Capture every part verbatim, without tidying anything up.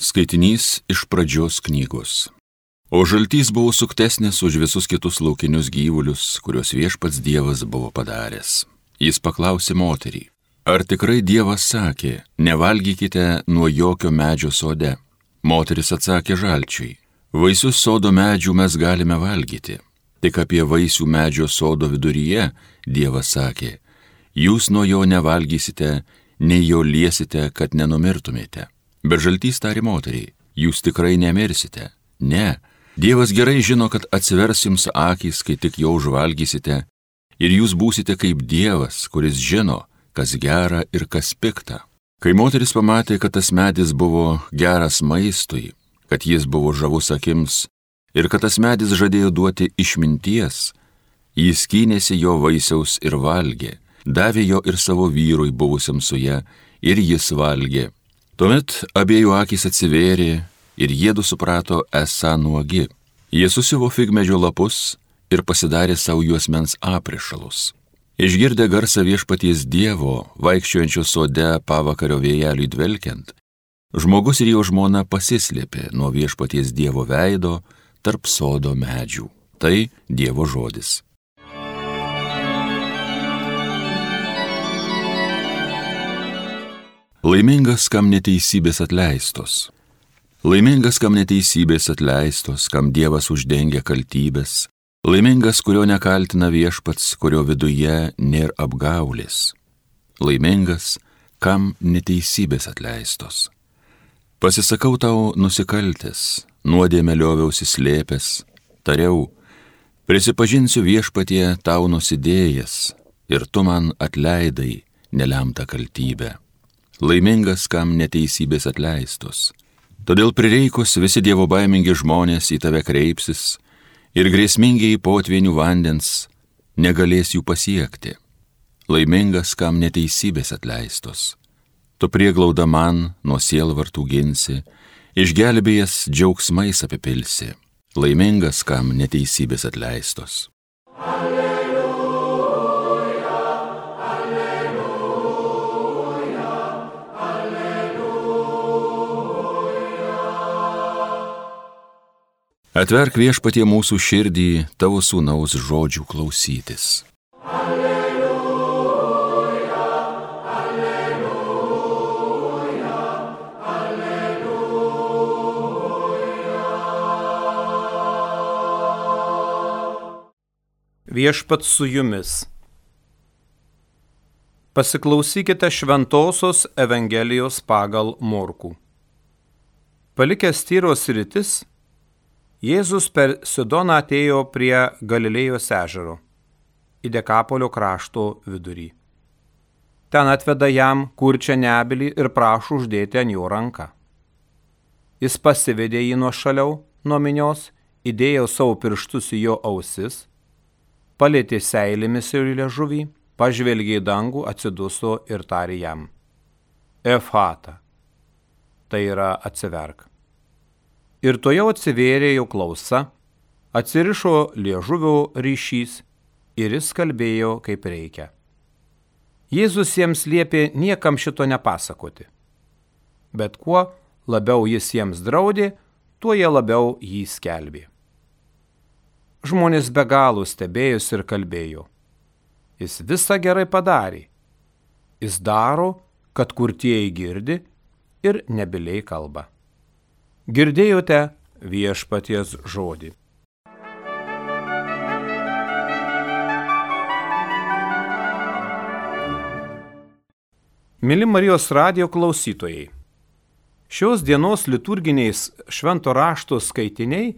Skaitinys iš Pradžios knygos. O žaltys buvo suktesnis už visus kitus laukinius gyvulius, kuriuos viešpats Dievas buvo padaręs. Jis paklausė moterį, ar tikrai Dievas sakė, nevalgykite nuo jokio medžio sode? Moteris atsakė žalčiui, vaisius sodo medžių mes galime valgyti, tik apie vaisių medžio sodo viduryje Dievas sakė, jūs nuo jo nevalgysite, nei jo liesite, kad nenumirtumėte. Bet žaltys tarė moteriai, jūs tikrai nemirsite. Ne, Dievas gerai žino, kad atsivers jums akys, kai tik jo užvalgysite, ir jūs būsite kaip Dievas, kuris žino, kas gera ir kas pikta. Kai moteris pamatė, kad tas medis buvo geras maistui, kad jis buvo žavus akims ir kad tas medis žadėjo duoti išminties, jis skynėsi jo vaisiaus ir valgė, davė jo ir savo vyrui buvusiam su ja, ir jis valgė. Tuomet abiejų akys atsivėrė ir jiedu suprato esą nuogi. Jie susiuvo figmedžio lapus ir pasidarė savo juosmens aprišalus. Išgirdę garsą viešpaties Dievo, vaikščiojančio sode pavakario vėjeliui dvelkiant, žmogus ir jo žmona pasislėpė nuo viešpaties Dievo veido tarp sodo medžių. Tai Dievo žodis. Laimingas, kam neteisybės atleistos. Laimingas, kam neteisybės atleistos, kam Dievas uždengia kaltybės. Laimingas, kurio nekaltina viešpats, kurio viduje nėra apgaulės. Laimingas, kam neteisybės atleistos. Pasisakau tau nusikaltęs, nuodėmę lioviausi slėpęs, tariau, prisipažinsiu viešpatie tau nusidėjęs, ir tu man atleidai nelemtą kaltybę. Laimingas, kam neteisybės atleistos. Todėl prireikus visi Dievo baimingi žmonės į tave kreipsis ir grėsmingiai potvynių vandens negalės jų pasiekti. Laimingas, kam neteisybės atleistos. Tu prieglauda man nuo sielvartų ginsi, išgelbėjęs džiaugsmais apipilsi. Laimingas, kam neteisybės atleistos. Atverk viešpatie mūsų širdį tavo sūnaus žodžių klausytis. Alleluja, alleluja, alleluja. Viešpats su jumis. Pasiklausykite šventosios Evangelijos pagal Morkų. Palikęs Tyros sritis, Jėzus per Sidoną atėjo prie Galilėjos ežero, į Dekapolio krašto vidurį. Ten atveda jam kurčią nebylį ir prašo uždėti ant jo ranką. Jis pasivedė jį nuošaliau nuo minios, įdėjo savo pirštus į jo ausis, palietė seilėmis ir liežuvį, pažvelgė į dangų, atsiduso ir tarė jam: Efata, tai yra atsiverk. Ir to jau atsivėrė jo klausa, atsirišo liežuvio ryšys ir jis kalbėjo kaip reikia. Jėzus jiems liepė niekam šito nepasakoti. Bet kuo labiau jis jiems draudė, tuo jie labiau jį skelbė. Žmonės be galo stebėjosi ir kalbėjo: Jis visą gerai padarė. Jis daro, kad kurtieji girdi ir nebyliai kalba. Girdėjote viešpaties žodį. Mili Marijos radijo klausytojai, šios dienos liturginiais švento rašto skaitiniai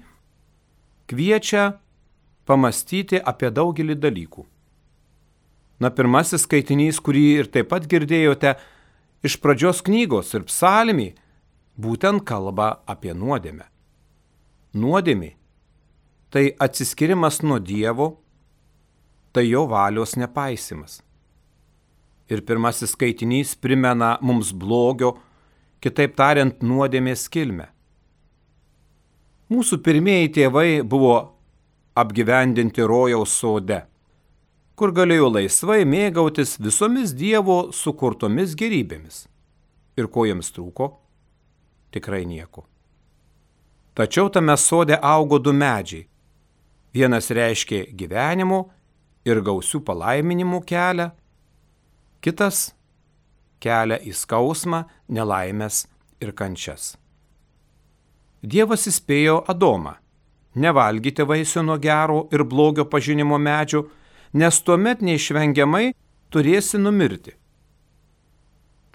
kviečia pamastyti apie daugelį dalykų. Na, pirmasis skaitinys, kurį ir taip pat girdėjote iš Pradžios knygos ir psalmį, būtent kalba apie nuodėmę. Nuodėmė – tai atsiskirimas nuo Dievo, tai jo valios nepaisimas. Ir pirmasis skaitinys primena mums blogio, kitaip tariant, nuodėmės kilmę. Mūsų pirmieji tėvai buvo apgyvendinti rojaus sode, kur galėjo laisvai mėgautis visomis Dievo sukurtomis gėrybėmis. Ir ko jiems trūko? tikrai nieko. Tačiau tame sode augo du medžiai. Vienas reiškė gyvenimo ir gausių palaiminimų kelią, kitas kelią į skausmą, nelaimės ir kančias. Dievas įspėjo Adomą: nevalgyti vaisių nuo gero ir blogio pažinimo medžio, nes tuomet neišvengiamai turėsi numirti.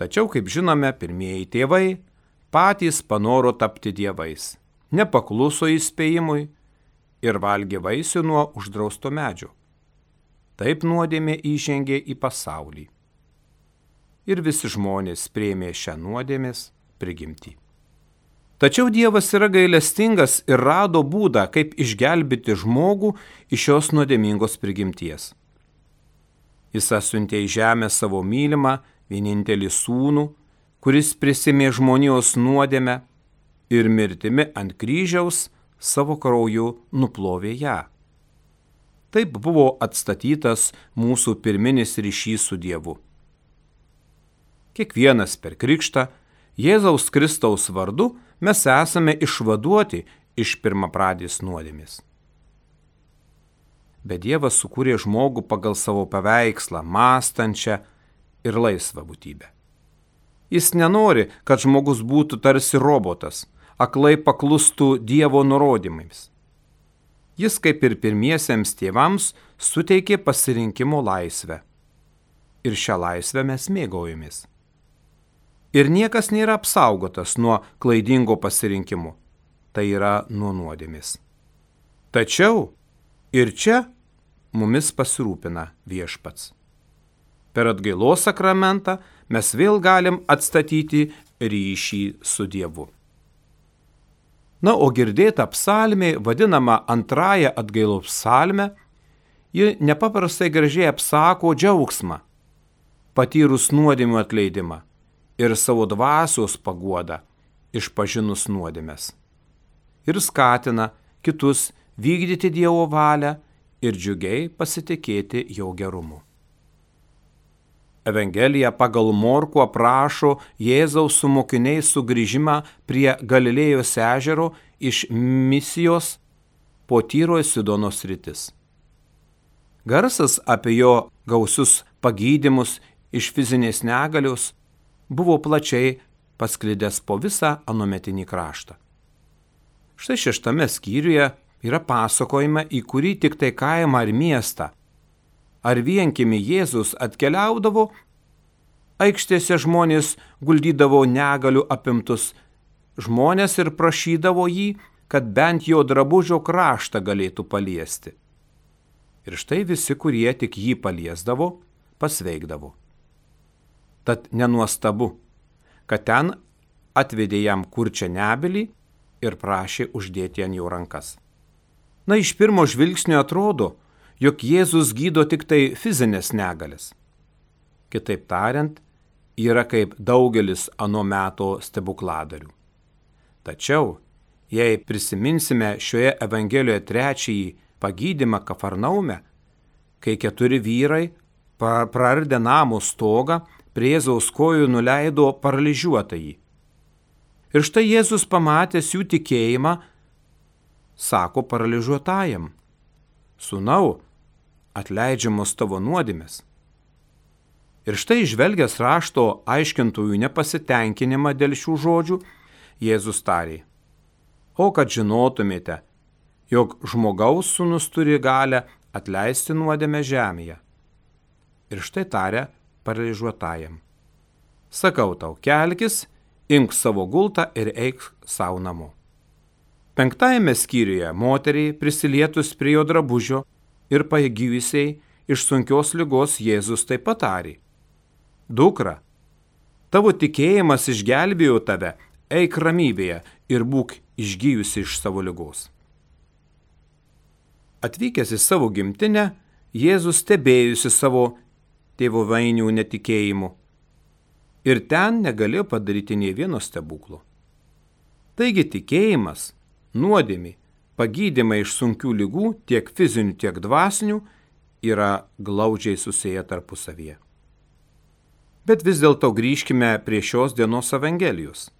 Tačiau, kaip žinome, pirmieji tėvai patys panoro tapti dievais, nepakluso įspėjimui ir valgė vaisių nuo uždrausto medžio. Taip nuodėmė įžengė į pasaulį. Ir visi žmonės priėmė šią nuodėmės prigimtį. Tačiau Dievas yra gailestingas ir rado būdą, kaip išgelbėti žmogų iš šios nuodėmingos prigimties. Jis atsiuntė į žemę savo mylimą, vienintelį sūnų, kuris prisimė žmonijos nuodėmę ir mirtimi ant kryžiaus savo krauju nuplovė ją. Taip buvo atstatytas mūsų pirminis ryšys su Dievu. Kiekvienas per krikštą Jėzaus Kristaus vardu mes esame išvaduoti iš pirmapradės nuodėmės. Bet Dievas sukūrė žmogų pagal savo paveikslą, mąstančią ir laisvą būtybę. Jis nenori, kad žmogus būtų tarsi robotas, aklai paklustų Dievo nurodymais. Jis, kaip ir pirmiesiems tėvams, suteikė pasirinkimo laisvę. Ir šią laisvę mes mėgaujamės. Ir niekas nėra apsaugotas nuo klaidingo pasirinkimo, tai yra nuo nuodėmės. Tačiau ir čia mumis pasirūpina Viešpats. Per atgailos sakramentą mes vėl galim atstatyti ryšį su Dievu. Na, o girdėta psalmė, vadinama antrąja atgailos psalme, ji nepaprastai gražiai apsako džiaugsmą, patyrus nuodėmių atleidimą ir savo dvasios paguodą, išpažinus nuodėmes. Ir skatina kitus vykdyti Dievo valią ir džiugiai pasitikėti jo gerumu. Evangelija pagal Morkų aprašo Jėzaus su mokiniais sugrįžimą prie Galilėjos ežero iš Misijos po Tyro ir Sidono sritis. Garsas apie jo gausius pagydymus iš fizinės negalios buvo plačiai pasklidęs po visą anuometinį kraštą. Štai šeštame skyriuje yra pasakojama, į kurį tik tai kaimą ar miestą ar vienkiemį Jėzus atkeliaudavo, aikštėse žmonės guldydavo negalių apimtus žmonės ir prašydavo jį, kad bent jo drabužio kraštą galėtų paliesti. Ir štai visi, kurie tik jį paliesdavo, pasveikdavo. Tad nenuostabu, kad ten atvedė jam kurčią nebylį ir prašė uždėti ant jo rankas. Na, iš pirmo žvilgsnio atrodo, jog Jėzus gydo tik tai fizinės negalės. Kitaip tariant, yra kaip daugelis ano meto stebukladarių. Tačiau, jei prisiminsime šioje Evangelijoje trečiąjį pagydymą Kafarnaume, kai keturi vyrai prardę namo stogą prie Jėzaus kojų nuleido paralyžiuotąjį. Ir štai Jėzus pamatęs jų tikėjimą, sako paralyžiuotajam: Sūnau, atleidžiamos tavo nuodėmės. Ir štai žvelgęs rašto aiškintojų nepasitenkinimą dėl šių žodžių, Jėzus tarė: O kad žinotumėte, jog žmogaus sūnus turi galę atleisti nuodėmę žemėje. Ir štai tarė paralyžiuotajam: Sakau tau, kelkis, imk savo gultą ir eik savo namo. Penktajame skyriuje moteriai prisilietus prie jo drabužio ir pagyjusiai iš sunkios ligos Jėzus taip pat tarė: Dukra, tavo tikėjimas išgelbėjo tave, eik ramybėje ir būk išgyjusi iš savo ligos. Atvykęs į savo gimtinę, Jėzus stebėjusi savo tėvovainių netikėjimu ir ten negalėjo padaryti nė vieno stebuklo. Taigi tikėjimas, nuodėmė, pagydymai iš sunkių ligų, tiek fizinių, tiek dvasinių, yra glaudžiai susiję tarpusavyje. Bet vis dėlto grįžkime prie šios dienos Evangelijos.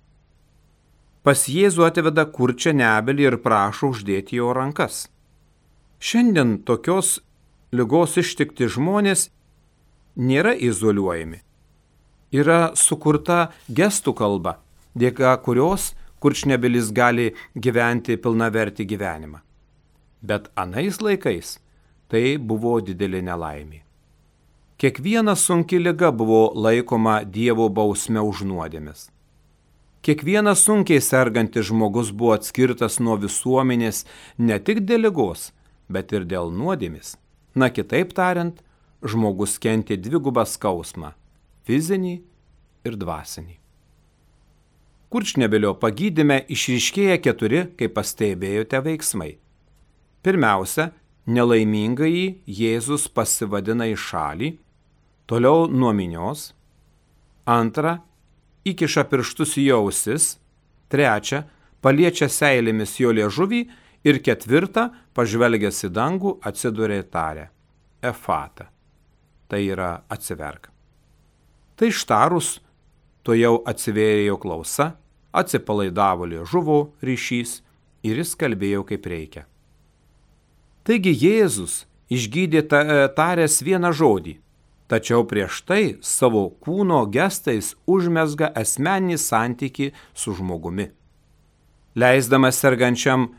pas Jėzų atveda kurčią nebylį ir prašo uždėti jo rankas. Šiandien tokios ligos ištikti žmonės nėra izoliuojami. Yra sukurta gestų kalba, dėka kurios kurčnebylis gali gyventi pilnavertį gyvenimą. Bet anais laikais tai buvo didelė nelaimė. Kiekviena sunki liga buvo laikoma Dievo bausme už nuodėmes. Kiekvienas sunkiai sergantis žmogus buvo atskirtas nuo visuomenės ne tik dėl ligos, bet ir dėl nuodėmės. Na, kitaip tariant, žmogus kentė dvigubą skausmą – fizinį ir dvasinį. Kurčnebylio pagydyme išryškėja keturi, kaip pastebėjote, veiksmai. Pirmiausia, nelaimingąjį Jėzus pasivadina į šalį, toliau nuo minios. Antra, įkiša pirštus į ausis. Trečia, paliečia seilėmis jo liežuvį. Ir ketvirta, pažvelgęs į dangų, atsiduria ir taria Efata. Tai yra atsiverk. Tai ištarus, to jau atsivėrė jo klausa, atsipalaidavo liežuvo ryšys ir jis kalbėjo kaip reikia. Taigi Jėzus išgydė taręs vieną žodį, tačiau prieš tai savo kūno gestais užmezga asmeninį santykį su žmogumi. Leisdamas sergančiam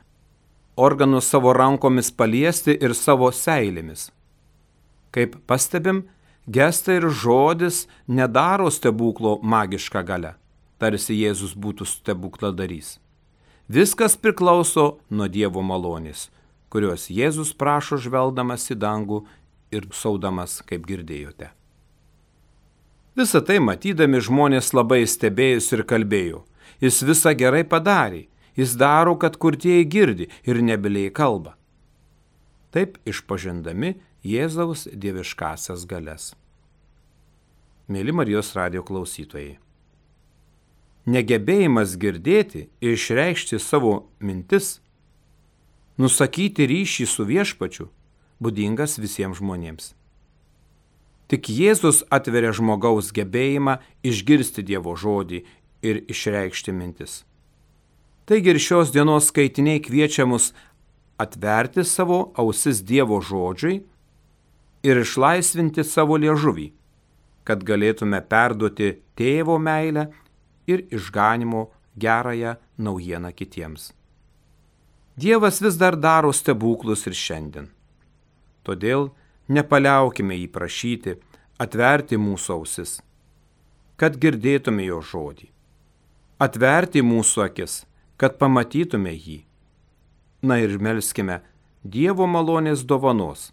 organus savo rankomis paliesti ir savo seilėmis. Kaip pastebim, gestai ir žodis nedaro stebuklo magišką galią, tarsi Jėzus būtų stebukladarys. Viskas priklauso nuo Dievo malonės, kurios Jėzus prašo žvelgdamas į dangų ir saudamas, kaip girdėjote. Visą tai matydami žmonės labai stebėjosi ir kalbėjo. Jis visą gerai padarė. Jis daro, kad kurtieji girdi ir nebyliai kalba. Taip išpažindami Jėzaus dieviškasias galias. Mėly Marijos radijo klausytojai. Negebėjimas girdėti ir išreikšti savo mintis, nusakyti ryšį su viešpačiu, būdingas visiems žmonėms. Tik Jėzus atveria žmogaus gebėjimą išgirsti Dievo žodį ir išreikšti mintis. Taigi ir šios dienos skaitiniai kviečia mus atverti savo ausis Dievo žodžiui ir išlaisvinti savo liežuvį, kad galėtume perduoti tėvo meilę ir išganimo gerąją naujieną kitiems. Dievas vis dar daro stebuklus ir šiandien. Todėl nepaliaukime jį prašyti, atverti mūsų ausis, kad girdėtume jo žodį. Atverti mūsų akis, kad pamatytume jį. Na ir melskime Dievo malonės dovanos,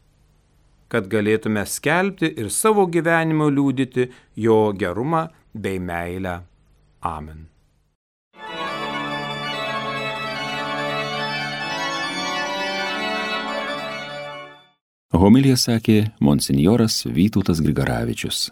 kad galėtume skelbti ir savo gyvenimo liudyti jo gerumą bei meilę. Amen. Homiliją sakė monsinjoras Vytautas Grigaravičius.